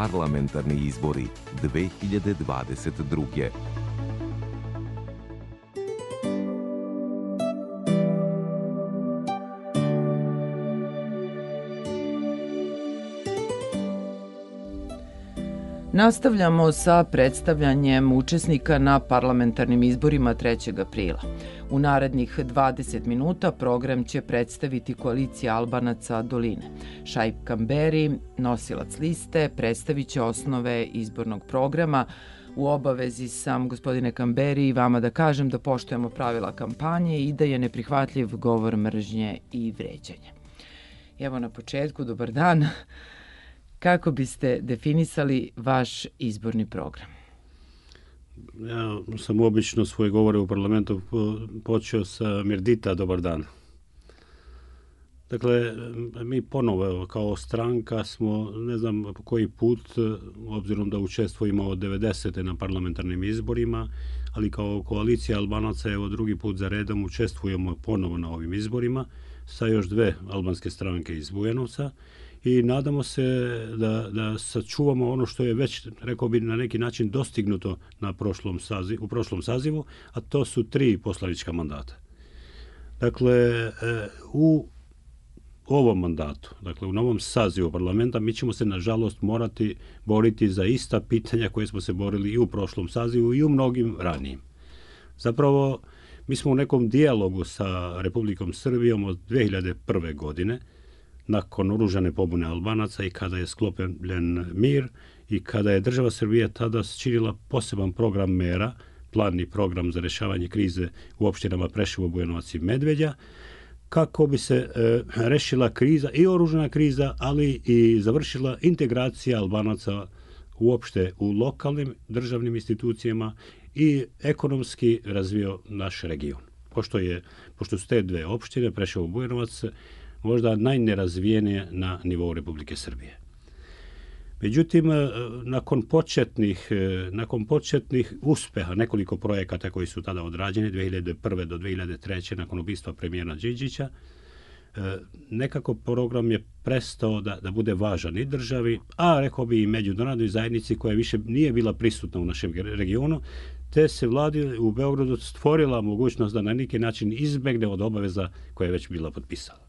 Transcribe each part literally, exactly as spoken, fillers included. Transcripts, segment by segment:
parlamentarni izbori dve hiljade dvadeset druge. Nastavljamo sa predstavljanjem učesnika na parlamentarnim izborima trećeg aprila. U narednih dvadeset minuta program će predstaviti koalicija Albanaca Doline. Šaip Kamberi, nosilac liste, predstavit će osnove izbornog programa. U obavezi sam, gospodine Kamberi, i vama da kažem da poštujemo pravila kampanje i da je neprihvatljiv govor mržnje i vređanje. Evo na početku, dobar dan. Kako biste definisali vaš izborni program? Ja sam obično svoje govore u parlamentu počeo sa Mirdita, dobar dan. Dakle, mi ponovo kao stranka smo, ne znam koji put, obzirom da učestvujemo od devedesete na parlamentarnim izborima, ali kao koalicija Albanaca, evo drugi put za redom učestvujemo ponovo na ovim izborima sa još dve albanske stranke iz Bujanovca. I nadamo se da, da sačuvamo ono što je već, rekao bi, na neki način dostignuto na prošlom sazivu, u prošlom sazivu, a to su tri poslanička mandata. Dakle, u ovom mandatu, dakle u novom sazivu parlamenta, mi ćemo se nažalost morati boriti za ista pitanja koje smo se borili i u prošlom sazivu i u mnogim ranijim. Zapravo, mi smo u nekom dijalogu sa Republikom Srbijom od dve hiljade prve. godine, nakon oružane pobune Albanaca i kada je sklopljen mir i kada je država Srbija tada činila poseban program mera, planni program za rešavanje krize u opštinama Preševo, Bujanovac i Medveđa, kako bi se e, rešila kriza i oružana kriza, ali i završila integracija Albanaca uopšte u lokalnim državnim institucijama i ekonomski razvio naš region. Pošto, je, pošto su te dve opštine, Preševo, Bujanovac, možda najnerazvijenije na nivou Republike Srbije. Međutim, nakon početnih, nakon početnih uspeha, nekoliko projekata koji su tada odrađeni, dve hiljade prve. do dve hiljade treće. nakon ubistva premijera Đinđića, nekako program je prestao da, da bude važan i državi, a rekao bi i međunarodnoj zajednici koja više nije bila prisutna u našem regionu, te se vladi u Beogradu stvorila mogućnost da na neki način izbegne od obaveza koja je već bila potpisala.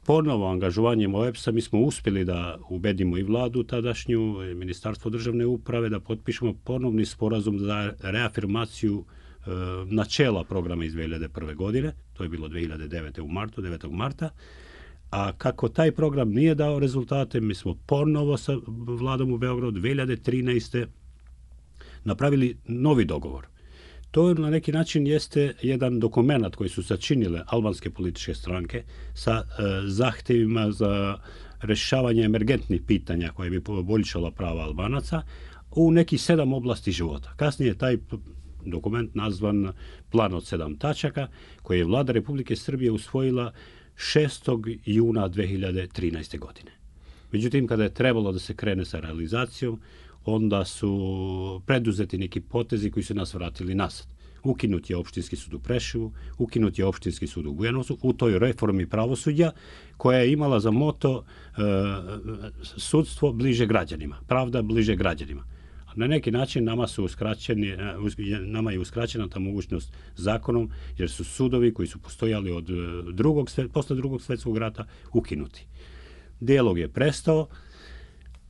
Ponovo angažovanjem O E B S-a mi smo uspjeli da ubedimo i vladu tadašnju, Ministarstvo državne uprave, da potpišemo ponovni sporazum za reafirmaciju e, načela programa iz dve hiljade prve. godine. To je bilo dve hiljade devete. u martu, devetog marta. A kako taj program nije dao rezultate, mi smo ponovo sa vladom u Beogradu dve hiljade trinaeste. napravili novi dogovor. To na neki način jeste jedan dokument koji su sačinile albanske političke stranke sa e, zahtjevima za rešavanje emergentnih pitanja koje bi poboljšala prava Albanaca u nekih sedam oblasti života. Kasnije taj dokument nazvan Plan od sedam tačaka, koji je vlada Republike Srbije usvojila šestog juna dve hiljade trinaeste. godine. Međutim, kada je trebalo da se krene sa realizacijom, onda su preduzeti neki potezi koji su nas vratili nazad. Ukinut je opštinski sud u Preševu, ukinut je opštinski sud u Bujanovcu u toj reformi pravosuđa koja je imala za moto e, sudstvo bliže građanima, pravda bliže građanima. Na neki način nama su uskraćeni, nama je uskraćena ta mogućnost zakonom, jer su sudovi koji su postojali od drugog, posle drugog svjetskog rata ukinuti. Dijalog je prestao,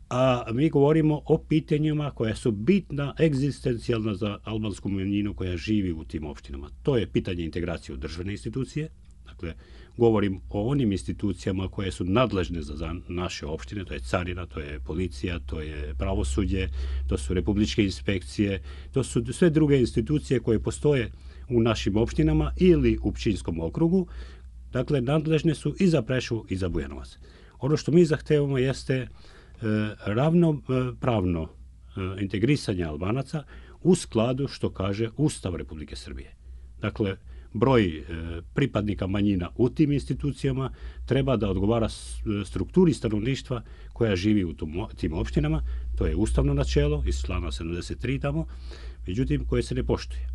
a mi govorimo o pitanjima koja su bitna, egzistencijalna za albansku manjinu koja živi u tim opštinama. To je pitanje integracije u državne institucije. Dakle, govorim o onim institucijama koje su nadležne za naše opštine, to je carina, to je policija, to je pravosuđe, to su republičke inspekcije, to su sve druge institucije koje postoje u našim opštinama ili u Pčinjskom okrugu. Dakle, nadležne su i za Preševo i za Bujanovac. Ono što mi zahtevamo jeste ravnopravno integrisanje Albanaca u skladu što kaže Ustav Republike Srbije. Dakle, broj pripadnika manjina u tim institucijama treba da odgovara strukturi stanovništva koja živi u tim opštinama. To je ustavno načelo iz člana sedamdeset tri tamo, međutim koje se ne poštuje.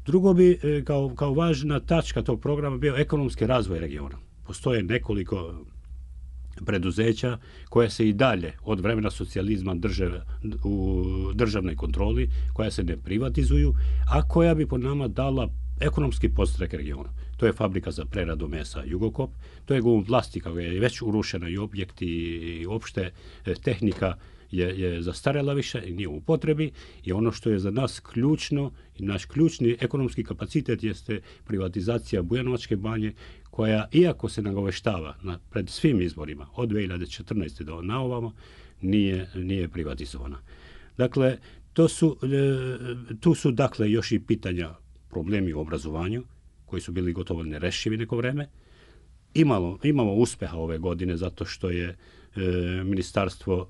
Drugo bi kao, kao važna tačka tog programa bio ekonomski razvoj regiona. Postoje nekoliko preduzeća koja se i dalje od vremena socijalizma drže u državnoj kontroli, koja se ne privatizuju, a koja bi po nama dala ekonomski podstrek regionu. To je fabrika za preradu mesa Jugokop, to je Gum plastika koja je već urušena i objekti i opšte tehnika je, je zastarela više i nije u potrebi i ono što je za nas ključno i naš ključni ekonomski kapacitet jeste privatizacija Bujanovačke banje koja, iako se nagoveštava na, pred svim izborima od dve hiljade četrnaeste do na ovamo, nije, nije privatizovana. Dakle, to su, tu su dakle još i pitanja problemi u obrazovanju koji su bili gotovo nerešivi neko vreme. Imalo, imamo uspeha ove godine zato što je e, ministarstvo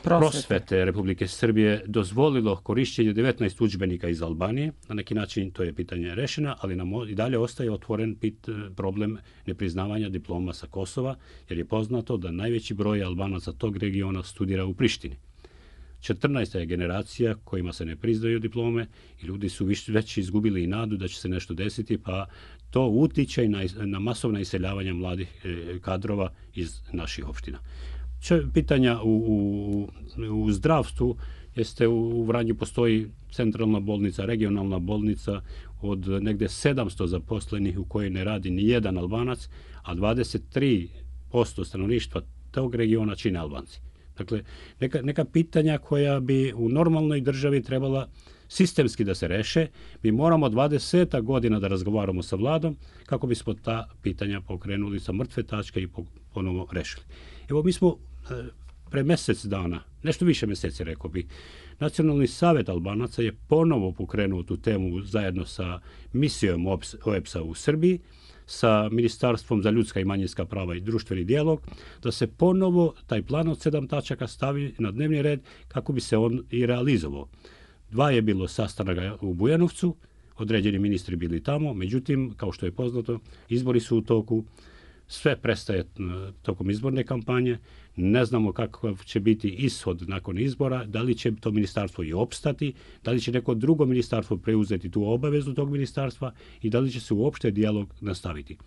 prosvete. prosvete Republike Srbije dozvolilo korišćenje devetnaest udžbenika iz Albanije. Na neki način to je pitanje rešeno, ali nam i dalje ostaje otvoren pit, problem nepriznavanja diploma sa Kosova, jer je poznato da najveći broj Albanaca tog regiona studira u Prištini. četrnaesta je generacija kojima se ne priznaju diplome i ljudi su već izgubili i nadu da će se nešto desiti, pa to utiče na, na masovna iseljavanja mladih kadrova iz naših opština. Pitanja u, u, u zdravstvu jeste u Vranju postoji centralna bolnica, regionalna bolnica od negde sedamsto zaposlenih u kojoj ne radi ni jedan Albanac, a dvadeset tri posto stanovništva tog regiona čine Albanci. Dakle, neka, neka pitanja koja bi u normalnoj državi trebala sistemski da se reše, mi moramo dvadeset godina da razgovaramo sa vladom kako bismo ta pitanja pokrenuli sa mrtve tačke i ponovo rešili. Evo, mi smo pre mesec dana, nešto više meseci rekao bi, Nacionalni savet Albanaca je ponovo pokrenuo tu temu zajedno sa misijom O E P S-a u Srbiji, sa Ministarstvom za ljudska i manjinska prava i društveni dijalog, da se ponovo taj plan od sedam tačaka stavi na dnevni red kako bi se on i realizovao. Dva je bilo sastanaka u Bujanovcu, određeni ministri bili tamo, međutim, kao što je poznato, izbori su u toku, sve prestaje tokom izborne kampanje, ne znamo kakav će biti ishod nakon izbora, da li će to ministarstvo i opstati, da li će neko drugo ministarstvo preuzeti tu obavezu tog ministarstva i da li će se uopšte dijalog nastaviti.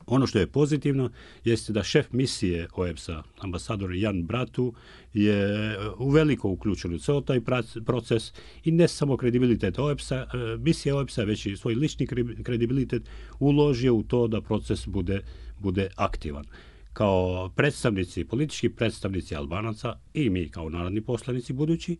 Ono što je pozitivno jeste da šef misije O E P S-a, ambasador Jan Bratu, je uveliko uključen u ceo taj proces i ne samo kredibilitet O E P S-a, misije O E P S-a, već i svoj lični kredibilitet uložio u to da proces bude, bude aktivan. Kao predstavnici, politički predstavnici Albanaca i mi kao narodni poslanici budući,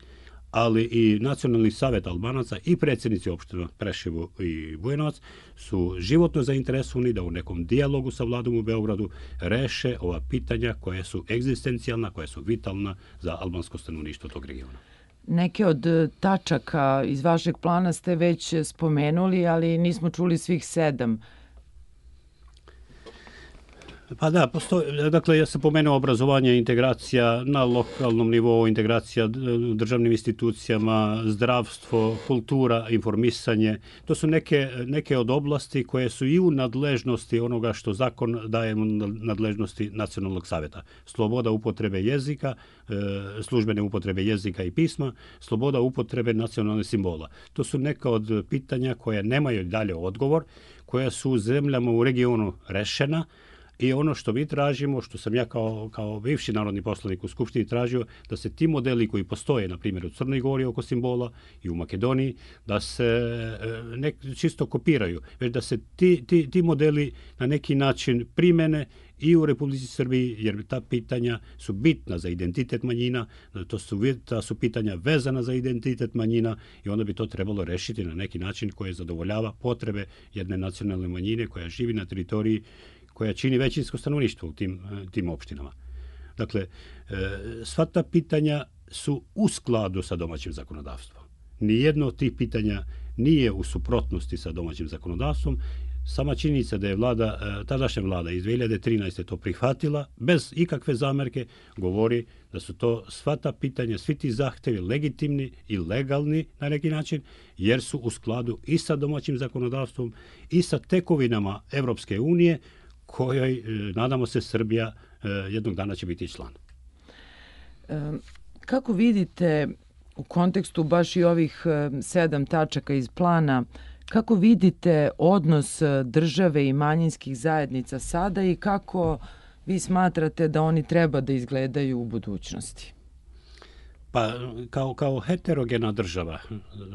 ali i Nacionalni savet Albanaca i predsjednici opština Preševo i Bujanovac su životno zainteresovani da u nekom dijalogu sa vladom u Beogradu reše ova pitanja koja su egzistencijalna, koja su vitalna za albansko stanovništvo tog regiona. Neke od tačaka iz vašeg plana ste već spomenuli, ali nismo čuli svih sedam. Pa da, postoji, dakle, ja sam pomenuo obrazovanje, integracija na lokalnom nivou, integracija u državnim institucijama, zdravstvo, kultura, informisanje. To su neke, neke od oblasti koje su i u nadležnosti onoga što zakon daje nadležnosti Nacionalnog saveta. Sloboda upotrebe jezika, službene upotrebe jezika i pisma, sloboda upotrebe nacionalnih simbola. To su neka od pitanja koja nemaju dalje odgovor, koja su u zemljama u regionu rešena. I ono što mi tražimo, što sam ja kao, kao bivši narodni poslanik u Skupštini tražio, da se ti modeli koji postoje, na primjer u Crnoj Gori oko simbola i u Makedoniji, da se ne čisto kopiraju, već da se ti, ti, ti modeli na neki način primene i u Republici Srbiji, jer ta pitanja su bitna za identitet manjina, to su, ta su pitanja vezana za identitet manjina i onda bi to trebalo rešiti na neki način koji zadovoljava potrebe jedne nacionalne manjine koja živi na teritoriji koja čini većinsko stanovništvo u tim, tim opštinama. Dakle, sva ta pitanja su u skladu sa domaćim zakonodavstvom. Nijedno od tih pitanja nije u suprotnosti sa domaćim zakonodavstvom. Sama činjenica da je vlada, tadašnja vlada iz dve hiljade trinaeste to prihvatila bez ikakve zamerke, govori da su to sva ta pitanja, svi ti zahtevi legitimni i legalni na neki način, jer su u skladu i sa domaćim zakonodavstvom i sa tekovinama Evropske unije, kojoj, nadamo se, Srbija jednog dana će biti član. Kako vidite u kontekstu baš i ovih sedam tačaka iz plana, Kako vidite odnos države i manjinskih zajednica sada i kako vi smatrate da oni treba da izgledaju u budućnosti? Pa kao, kao heterogena država,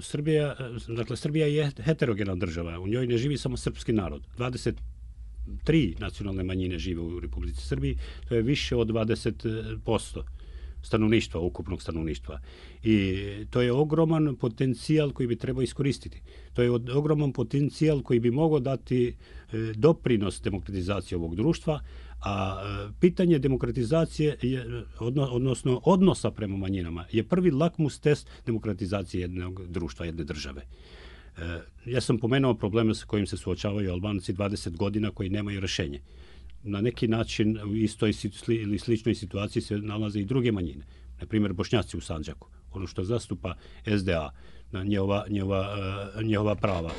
Srbija, dakle Srbija je heterogena država, u njoj ne živi samo srpski narod. dvadeset tri nacionalne manjine žive u Republici Srbiji, to je više od dvadeset posto stanovništva, ukupnog stanovništva. I to je ogroman potencijal koji bi trebao iskoristiti. To je ogroman potencijal koji bi mogao dati doprinos demokratizaciji ovog društva, a pitanje demokratizacije, je, odnosno odnosa prema manjinama, je prvi lakmus test demokratizacije jednog društva, jedne države. Ja sam pomenuo probleme sa kojim se suočavaju Albanci dvadeset godina koji nemaju rješenje. Na neki način u istoj ili sličnoj situaciji se nalaze i druge manjine. Na primjer, Bošnjaci u Sandžaku, ono što zastupa S D A, njihova, njihova, njihova prava.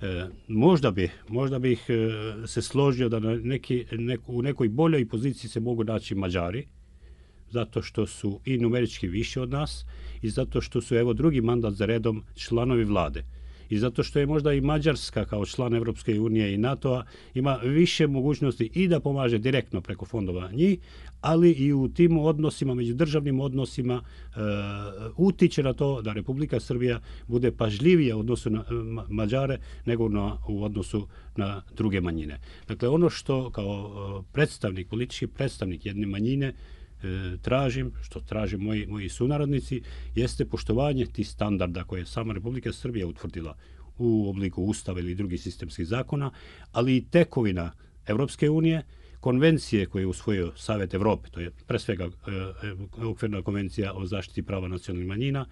E, možda bi, možda bih se složio da na neki, neku, u nekoj boljoj poziciji se mogu naći Mađari, zato što su i numerički više od nas i zato što su, evo, drugi mandat za redom članovi vlade. I zato što je možda i Mađarska kao član Evropske unije i NATO-a ima više mogućnosti i da pomaže direktno preko fondova njih, ali i u tim odnosima, međudržavnim odnosima, e, utiče na to da Republika Srbija bude pažljivija u odnosu na Mađare nego na, u odnosu na druge manjine. Dakle, ono što kao predstavnik, politički predstavnik jedne manjine tražim, što traže moji, moji sunarodnici, jeste poštovanje tih standarda koje je sama Republika Srbija utvrdila u obliku ustava ili drugih sistemskih zakona, ali i tekovina Evropske unije, konvencije koje je usvojio Savet Evrope, to je pre svega e, okvirna konvencija o zaštiti prava nacionalnih manjina,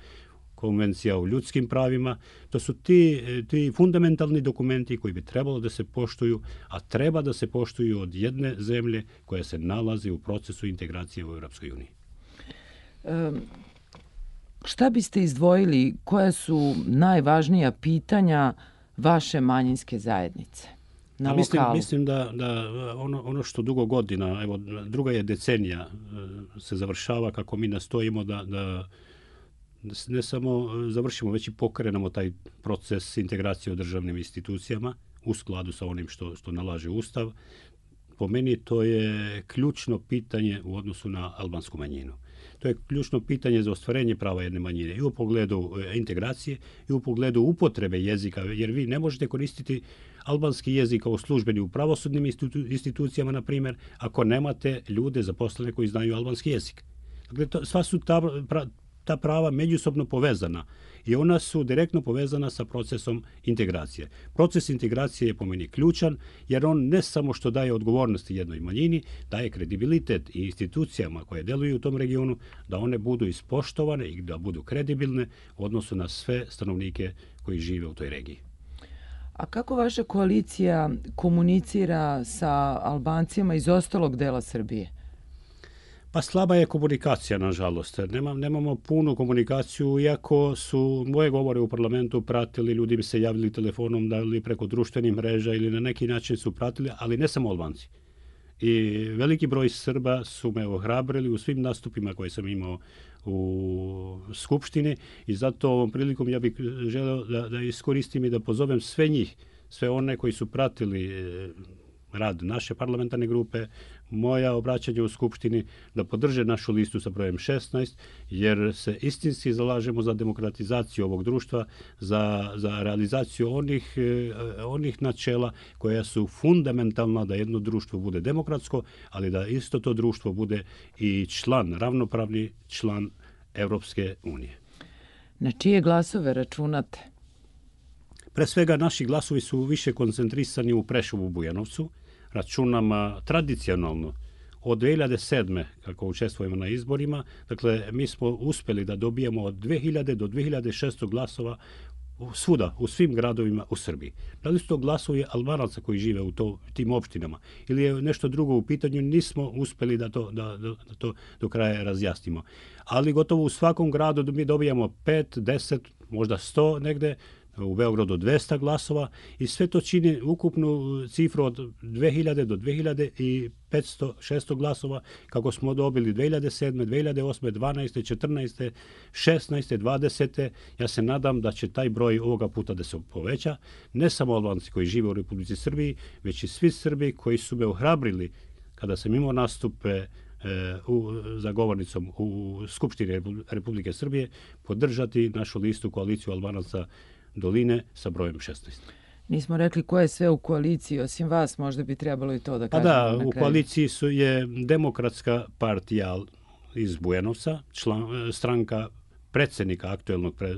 konvencija o ljudskim pravima, to su ti, ti fundamentalni dokumenti koji bi trebalo da se poštuju, a treba da se poštuju od jedne zemlje koja se nalazi u procesu integracije u Europskoj uniji. Um, šta biste izdvojili, koja su najvažnija pitanja vaše manjinske zajednice na mislim, lokalu? Mislim da, da ono, ono što dugo godina, evo druga je decenija, se završava kako mi nastojimo da, da ne samo završimo, već i pokrenemo taj proces integracije u državnim institucijama u skladu sa onim što, što nalaže Ustav. Po meni to je ključno pitanje u odnosu na albansku manjinu. To je ključno pitanje za ostvarenje prava jedne manjine i u pogledu integracije i u pogledu upotrebe jezika, jer vi ne možete koristiti albanski jezik kao službeni u pravosudnim institucijama, na primjer, ako nemate ljude zaposlene koji znaju albanski jezik. Dakle, to, sva su ta pra, ta prava međusobno povezana i ona su direktno povezana sa procesom integracije. Proces integracije je po meni ključan jer on ne samo što daje odgovornosti jednoj manjini, daje kredibilitet i institucijama koje deluju u tom regionu da one budu ispoštovane i da budu kredibilne u odnosu na sve stanovnike koji žive u toj regiji. A kako vaša koalicija komunicira sa Albancima iz ostalog dela Srbije? Pa slaba je komunikacija, nažalost. Nemam, nemamo punu komunikaciju, iako su moje govore u parlamentu pratili, ljudi bi se javili telefonom, da li preko društvenih mreža ili na neki način su pratili, ali ne samo Albanci. I veliki broj Srba su me ohrabrili u svim nastupima koje sam imao u Skupštini i zato ovom prilikom ja bih želeo da, da iskoristim i da pozovem sve njih, sve one koji su pratili rad naše parlamentarne grupe, moja obraćanja u Skupštini, da podrže našu listu sa brojem šesnaest, jer se istinski zalažemo za demokratizaciju ovog društva, za, za realizaciju onih, onih načela koja su fundamentalna da jedno društvo bude demokratsko, ali da isto to društvo bude i član, ravnopravni član Evropske unije. Na čije glasove računate? Pre svega, naši glasovi su više koncentrisani u Preševu, Bujanovcu. Računam tradicionalno od dve hiljade sedme, kako učestvujemo na izborima. Dakle, mi smo uspjeli da dobijemo od dve hiljade do dve hiljade šesto glasova svuda, u svim gradovima u Srbiji. Da li su to glasovi Albanaca koji žive u to, tim opštinama ili je nešto drugo u pitanju, nismo uspjeli da to, da, da to do kraja razjasnimo. Ali gotovo u svakom gradu mi dobijamo pet, deset, možda sto negde u Beogradu dvesta glasova i sve to čini ukupnu cifru od dve hiljade do dve hiljade petsto šesto glasova kako smo dobili dve hiljade sedme, dve hiljade osme, dvanaeste, četrnaeste, šesnaeste, dvadesete. Ja se nadam da će taj broj ovoga puta da se poveća. Ne samo Albanci koji žive u Republici Srbiji, već i svi Srbi koji su me ohrabrili kada sam imao nastupe u, za govornicom u Skupštini Republike Srbije podržati našu listu koaliciju Albanaca Doline sa brojem šesnaest. Nismo rekli ko je sve u koaliciji, osim vas, možda bi trebalo i to da kažemo. Pa da, na kraju. U koaliciji su je Demokratska partija iz Bujanovca, član, stranka predsjednika aktuelnog pre,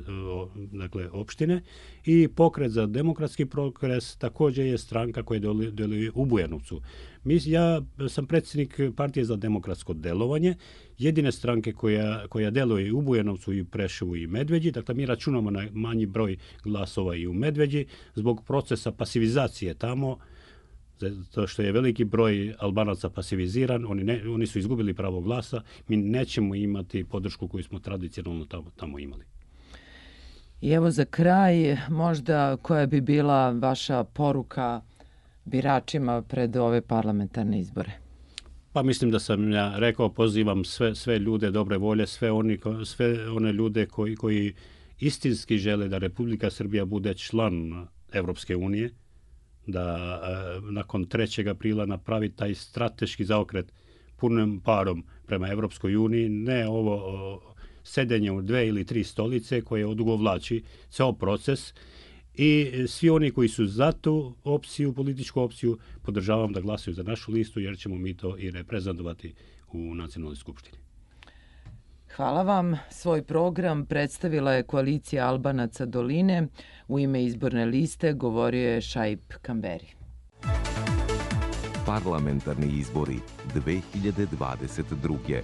dakle, opštine i Pokret za demokratski progres također je stranka koja deluje u Bujanovcu. Mi, ja sam predsjednik partije za demokratsko delovanje, jedine stranke koja, koja deluje u Bujanovcu i Preševu i Medveđi, dakle mi računamo na manji broj glasova i u Medveđi zbog procesa pasivizacije tamo, zato što je veliki broj Albanaca pasiviziran, oni, ne, oni su izgubili pravo glasa, mi nećemo imati podršku koju smo tradicionalno tamo, tamo imali. I evo za kraj, možda koja bi bila vaša poruka biračima pred ove parlamentarne izbore? Pa mislim da sam ja rekao, pozivam sve, sve ljude dobre volje, sve, oni, sve one ljude koji, koji istinski žele da Republika Srbija bude član Evropske unije, da e, nakon trećeg aprila napravi taj strateški zaokret punim parom prema Evropskoj uniji, ne ovo o, sedenje u dve ili tri stolice koje odugovlači ceo proces i svi oni koji su za tu opciju, političku opciju, podržavam da glasaju za našu listu jer ćemo mi to i reprezentovati u Nacionalnoj skupštini. Hvala vam. Svoj program predstavila je koalicija Albanaca Doline. U ime izborne liste govorio je Šaip Kamberi. Parlamentarni izbori dve hiljade dvadeset druge.